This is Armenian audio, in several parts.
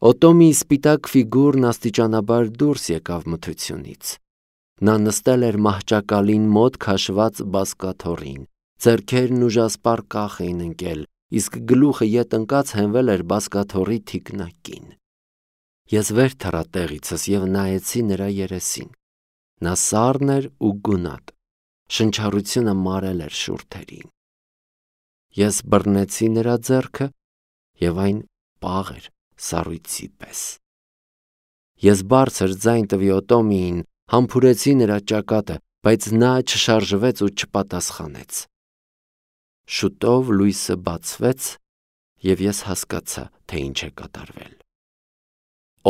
Օտոմի սպիտակ ֆիգուրն աստիճանաբար դուրս եկավ մթությունից։ Նա նստել էր մահճակալին մոտ քաշված բազկաթոռին, ձեռքերն ուժասպառ կախ էին ընկել, իսկ գլուխը ետ ընկած հենվել էր բազկաթոռի թիկնակին։ Ես վեր թռա տեղիցս և նայեցի նրա երեսին։ Նա սառն էր ու գունատ, շնչառությունը մարել էր շուրթերին։ Ես բռնեցի նրա ձեռքը և այն պաղ էր սառույցի պես։ Ես բարձր ձայն տվի Օտոմիին, համբուրեցի նրա ճակատը, բայց նա չշարժվեց ու չպատասխանեց։ Շուտով լույսը բացվեց, և ես հասկացա, թե ինչ է կատարվել։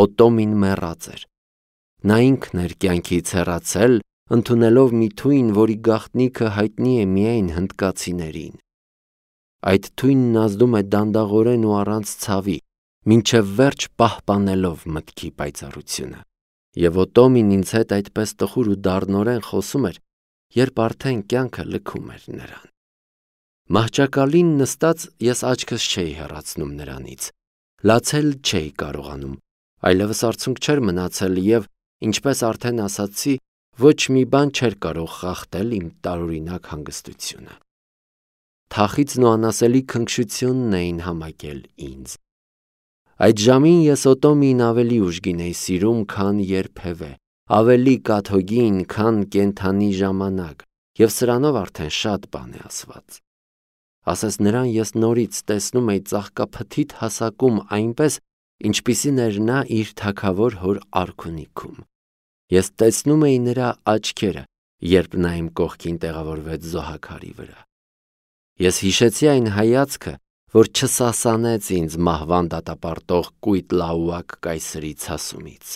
Օտոմին մեռած էր։ Նա ինքն էր կյանքից հեռացել, ընդունելով մի թույն, որի գաղտնիքը հայտնի է միայն հնդկացիներին։ Այդ թույնն ազդում է դանդաղորեն ու առանց ցավի, մինչև վերջ պահպանելով մտքի պայծառությունը։ Եվ Օտոմին ինձ հետ այդպես տխուր ու դառնորեն խոսում էր, երբ արդեն կյանքը լքում էր նրան։ Մահճակալին նստած ես աչքս չէի հեռացնում նրանից, լացել չէի կարողանում, այլևս արցունք չէր մնացել և, ինչպես արդեն ասացի, ոչ մի բան չէր կարող խախտել իմ տարօրինակ հանգստությունը։ Թախիծն ու անասելի քնքշությունն էին համակել ինձ։ Այդ ժամին ես Օտոմիին ավելի ուժգին էի սիրում, քան երբևէ, ավելի կաթոկին, քան կենդանի ժամանակ, և սրանով արդեն շատ բան է ասված։ Ասես նրան ես նորից տեսնում էի ծաղկափթիթ հասակում այնպես, ինչպիսին էր նա իր թագավոր հոր արքունիքում։ Ես տեսնում էի նրա աչքերը, երբ նա իմ կողքին տեղավորվեց զոհաքարի վրա։ Ես հիշեցի այն հայացքը, որ չսասանեց ինձ մահվան դատապարտող կույտ լաուակ կայսրի ցասումից։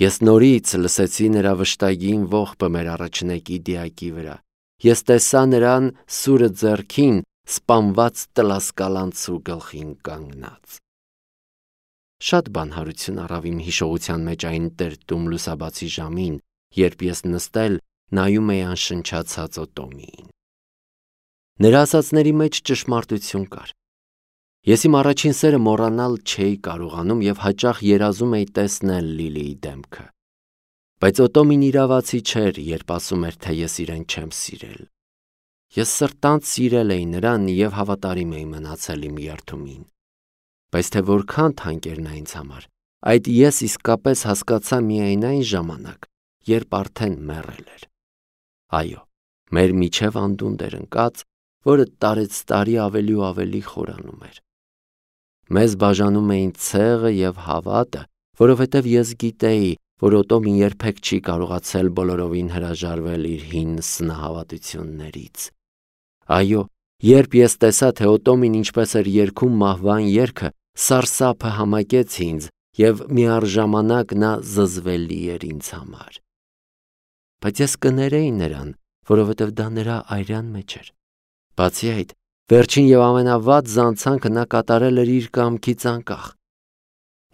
Ես նորից լսեցի նրա վշտագին ողբը մեր առաջնեկի դիակի վրա։ Ես տեսա նրան սուրը ձեռքին, սպանված տլասկալանցու գլխին կանգնած։ Շատ բան հարություն առավ իմ հիշողության մեջ այն տերտում լուսաբացի ժամին, երբ ես նստել նայում էի անշնչացած Օտոմիին։ Նրա ասածների մեջ ճշմարտություն կար։ Ես իմ առաջին սերը մոռանալ չէի կարողանում և հաճախ երազում էի տեսնել Լիլիի դեմքը։ Բայց Օտոմին իրավացի չէր, երբ ասում էր, թե ես իրեն չեմ սիրել։ Ես սրտանց սիրել էի նրան և հավատարիմ էի մնացել իմ երդումին։ Բայց թե որքան թանկ էր նա ինձ համար, այդ ես իսկապես հասկացա միայն այն ժամանակ, երբ արդեն մեռել էր։ Այո, մեր միջև անդունդ էր ընկած, որը տարեցտարի ավելի ու ավելի խորանում էր։ Մեզ բաժանում էին ցեղը և հավատը, որովհետև ես գիտեի, որ Օտոմին երբեք չի կարողացել բոլորովին հրաժարվել իր հին սնահավատություններից։ Այո, երբ ես տեսա, թե Օտոմին ինչպես էր երգում մահվան երգը, սարսափը համակեց ինձ և միառժամանակ նա զզվելի էր ինձ համար։ Բայց ես կներեի նրան, որովհետև դա նրա արյան մեջ էր։ Բացի այդ, վերջին և ամենավատ զանցանքը նա կատարել էր իր կամքից անկախ։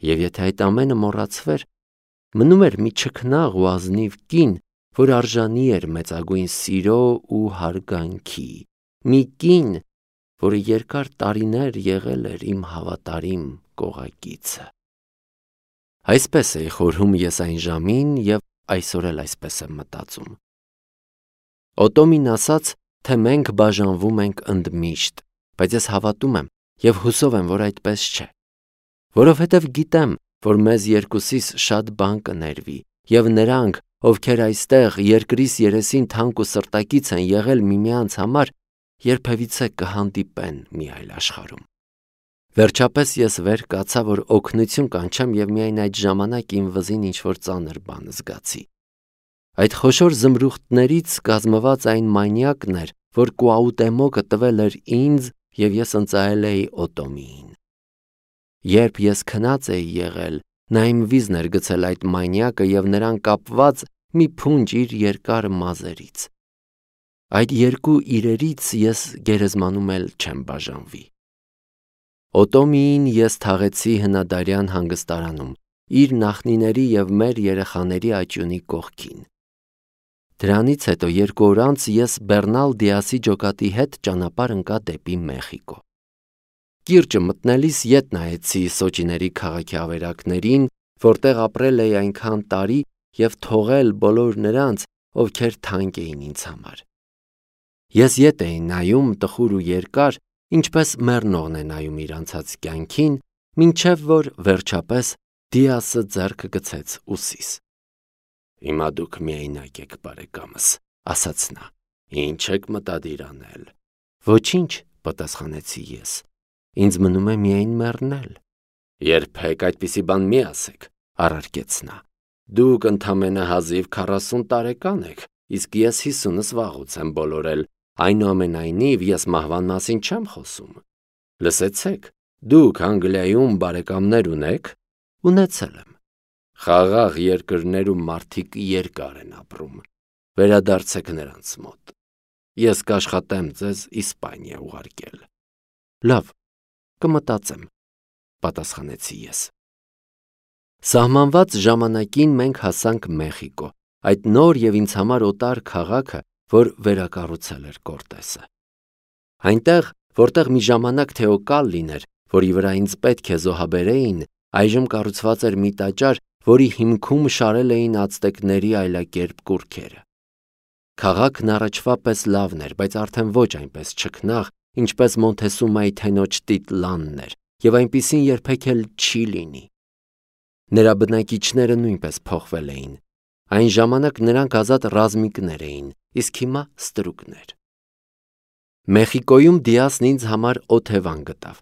Եվ եթե այդ ամենը մոռացվեր, մնում էր մի չքնաղ ու ազնիվ կին, որ արժանի էր մեծագույն սիրո ու հարգանքի, մի կին, որը երկար տարիներ եղել էր իմ հավատարիմ կողակիցը։ Այսպես էի խորհում ես այն ժամին և այսօր էլ այսպես եմ մտածում։ Օտոմին ասաց, թե մենք բաժանվում ենք ընդմիշտ, բայց ես հավատում եմ և հուսով եմ, որ այդպես չէ։ Որովհետև գիտեմ, որ մեզ երկուսիս շատ բան կներվի, և նրանք, ովքեր այստեղ երկրիս երեսին թանկ ու սրտակից են եղել միմյանց համար, երբևիցե կհանդիպեն մի այլ աշխարհում։ Վերջապես ես վեր կացա, որ օգնություն կանչեմ և միայն այդ ժամանակ իմ վզին ինչ-որ ծանր բան զգացի։ Այդ խոշոր զմրուխտներից կազմված այն մանյակն էր, որ Կուաուտեմոկը տվել էր ինձ և ես ընծայել էի Օտոմիին։ Երբ ես քնած էի եղել, նա իմ վիզն էր գցել այդ մանյակը և նրան կապված մի փունջ իր երկար մազերից։ Այդ երկու իրերից ես գերեզմանում էլ չեմ բաժանվի։ Օտոմիին ես թաղեցի հնադարյան հանգստարանում, իր նախնիների և մեր երեխաների աճյունի կողքին։ Դրանից հետո 2 օր անց ես Բեռնալ Դիասի ջոկատի հետ ճանապարհ ընկա դեպի Մեխիկո։ Կիրճը մտնելիս ետ նայեցի Սոճիների քաղաքի ավերակներին, որտեղ ապրել էի այնքան տարի և թողել բոլոր նրանց, ովքեր թանկ էին ինձ համար։ Ես ետ էի նայում տխուր ու երկար, ինչպես մեռնողն է նայում իր անցած կյանքին, մինչև որ վերջապես Դիասը ձեռքը գցեց ուսիս։ «Հիմա դուք միայնակ եք, բարեկամս», ասաց նա։ «Ինչ եք մտադիր անել»։ «Ոչինչ», պատասխանեցի ես։ «Ինձ մնում է միայն մեռնել»։ «Երբեք այդպիսի բան մի ասեք», առարկեց նա։ «Դուք ընդամենը հազիվ 40 տարեկան եք, իսկ ես 50-ս վաղուց եմ բոլորել, այնուամենայնիվ ես մահվան մասին չեմ խոսում։ Լսեցեք, դուք Անգլիայում բարեկամներ ունեք»։ «Ունեցել եմ»։ «Խաղաղ երկրներում մարդիկ երկար են ապրում, վերադարձեք նրանց մոտ։ Ես կաշխատեմ ձեզ Իսպանիա ուղարկել»։ «Լավ, կմտածեմ», պատասխանեցի ես։ Սահմանված ժամանակին մենք հասանք Մեխիկո, այդ նոր և ինձ համար օտար քաղաքը, որ վերակառուցել էր Կորտեսը։ Այնտեղ, որտեղ մի ժամանակ Թեոկալ լիներ, որի վրա ինձ պետք է զոհաբերեին, այժմ կառուցված էր մի տաճար, որի հիմքում շարել էին ացտեկների այլակերպ կուռքերը։ Քաղաքն առաջվա պես լավն էր, բայց արդեն ոչ այնպես չքնաղ, ինչպես Մոնթեսումայի թենոջ Տիտլանն էր, և այնպիսին երբեք էլ չի լինի։ Նրա բնակիչները նույնպես փոխվել էին։ Այն ժամանակ նրանք ազատ ռազմիկներ էին, իսկ հիմա ստրուկներ։ Մեխիկոյում Դիասն ինձ համար օթևան գտավ։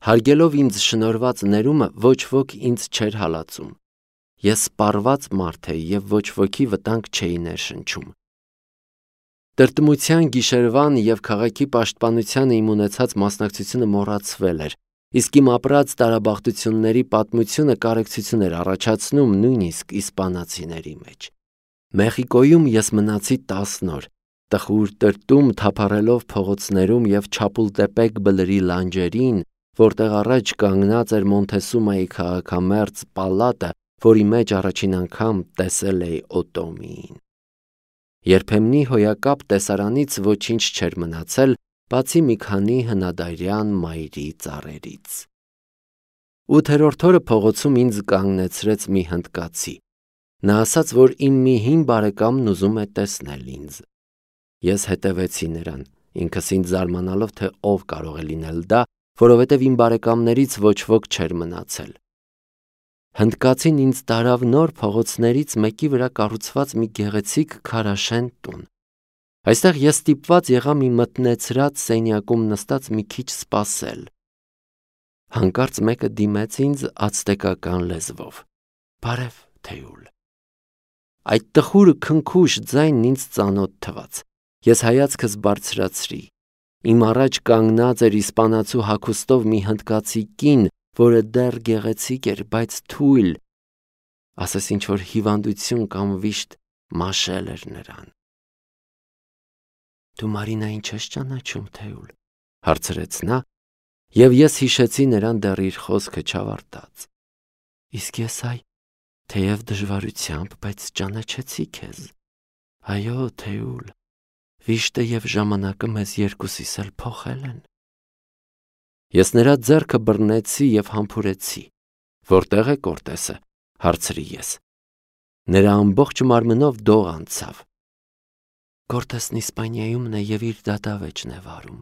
Հարգելով ինձ շնորհված ներումը, ոչ ոք ինձ չէր հալածում։ Ես սպառված մարդ էի և ոչ ոքի վտանգ չէի ներշնչում։ Տրտմության գիշերվան և քաղաքի պաշտպանությանը իմ ունեցած մասնակցությունը մոռացվել էր, իսկ իմ ապրած տարաբախտությունների պատմությունը կարեկցություն էր առաջացնում նույնիսկ իսպանացիների մեջ։ Մեխիկոյում ես մնացի 10 օր, տխուր տրտում թափառելով փողոցներում և Չապուլտեպեկ բլրի լանջերին, որտեղ առաջ կանգնած էր Մոնթեսումայի քաղաքամերձ պալատը, որի մեջ առաջին անգամ տեսել էի Օտոմիին։ Երբեմնի հոյակապ տեսարանից ոչինչ չէր մնացել, բացի մի քանի հնադարյան մայրի ծառերից։ 8-րդ օրը փողոցում ինձ կանգնեցրեց մի հնդկացի։ Նա ասաց, որ իմ մի հին բարեկամն ուզում է տեսնել ինձ։ Ես հետևեցի նրան, ինքս ինձ զարմանալով, թե ով կարող է լինել դա, որովհետև իմ բարեկամներից ոչ ոք չէր մնացել։ Հնդկացին ինձ տարավ նոր փողոցներից մեկի վրա կառուցված մի գեղեցիկ քարաշեն տուն։ Այստեղ ես ստիպված եղա մի մթնեցրած սենյակում նստած մի քիչ սպասել։ Հանկարծ մեկը դիմեց ինձ ացտեկական լեզվով. «Բարև, Թեուլ»։ Այդ տխուր քնքուշ ձայնն ինձ ծանոթ թվաց։ Ես հայացքս բարձրացրի։ Իմ առաջ կանգնած էր իսպանացու հագուստով մի հնդկացի կին, որը դեռ գեղեցիկ էր, բայց թույլ, ասես ինչ-որ հիվանդություն կամ վիշտ մաշել էր նրան։ «Դու Մարինային չես ճանաչում, Թեուլ», հարցրեց նա, և ես հիշեցի նրան դեռ իր խոսքը չավարտած։ «Իսկ ես այ, թեև դժվարությամբ, բայց ճանաչեցի քեզ։ Այո, Թեուլ, վիշտը և ժամանակը մեզ երկուսիս էլ փոխել են»։ Ես նրա ձեռքը բռնեցի և համբուրեցի։ «Որտեղ է Կորտեսը», հարցրի ես։ Նրա ամբողջ մարմնով դող անցավ։ «Կորտեսն Իսպանիայումն է և իր դատավեճն է վարում։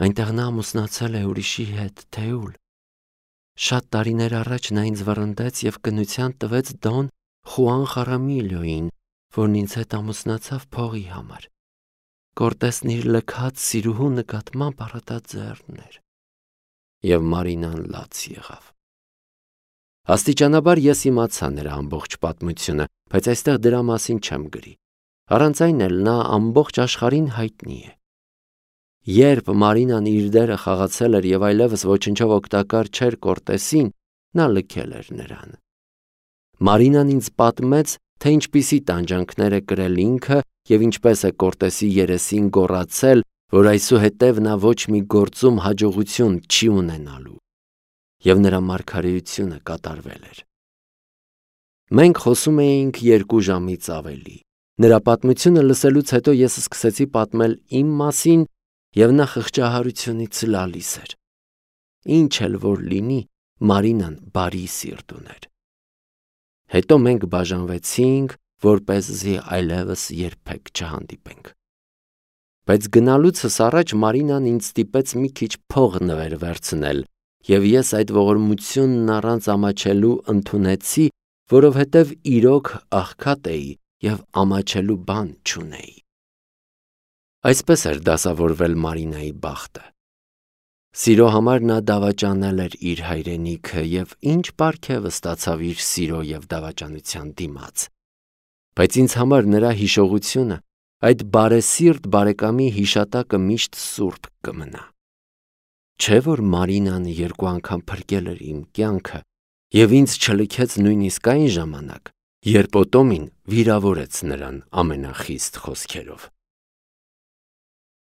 Այնտեղ նա ամուսնացել է ուրիշի հետ, Թեուլ։ Շատ տարիներ առաջ նա ինձ վռնդեց և կնության տվեց Դոն Խուան Խարամիլիոյին, որն ինձ հետ ամուսնացավ փողի համար։ Կորտեսն իր լքած սիրուհու նկատմամբ առատաձեռն էր»։ Եվ Մարինան լաց եղավ։ Աստիճանաբար ես իմացա նրա ամբողջ պատմությունը, բայց այստեղ դրա մասին չեմ գրի։ Առանց այն էլ նա ամբողջ աշխարհին հայտնի է։ Երբ Մարինան իր դերը խաղացել էր և այլևս ոչնչով օգտակար չէր Կորտեսին, նա լքել էր նրան։ Մարինան ինձ պատմեց, թե ինչպիսի տանջանքներ է կրել ինքը և ինչպես է Կորտեսի երեսին գոռացել, որ այսուհետև նա ոչ մի գործում հաջողություն չի ունենալու։ Եվ նրա մարգարեությունը կատարվել էր։ Մենք խոսում էինք 2 ժամից ավելի։ Նրա պատմությունը լսելուց հետո ես սկսեցի պատմել իմ մասին, և նա խղճահարությունից լալիս էր։ ինչ էլ որ լինի, Մարինան բարի սիրտ ուներ։ Հետո մենք բաժանվեցինք, որպեսզի այլևս երբեք չհանդիպենք։ Բայց գնալուցս առաջ Մարինան ինձ ստիպեց մի քիչ փող նվեր վերցնել, և ես այդ ողորմությունն առանց ամաչելու ընդունեցի, որովհետև իրոք աղքատ էի և ամաչելու բան չունեի։ Այսպես էր դասավորվել Մարինայի բախտը։ Սիրո համար նա դավաճանել էր իր հայրենիքը և ինչ պարգև ստացավ իր սիրո և դավաճանության դիմաց։ Բայց ինձ համար նրա հիշողությունը, այդ բարեսիրտ բարեկամի հիշատակը միշտ սուրբ կմնա։ Չէ՞ որ Մարինան 2 անգամ փրկել էր իմ կյանքը և ինձ չլքեց նույնիսկ այն ժամանակ, երբ Օտոմին վիրավորեց նրան ամենախիստ խոսքերով։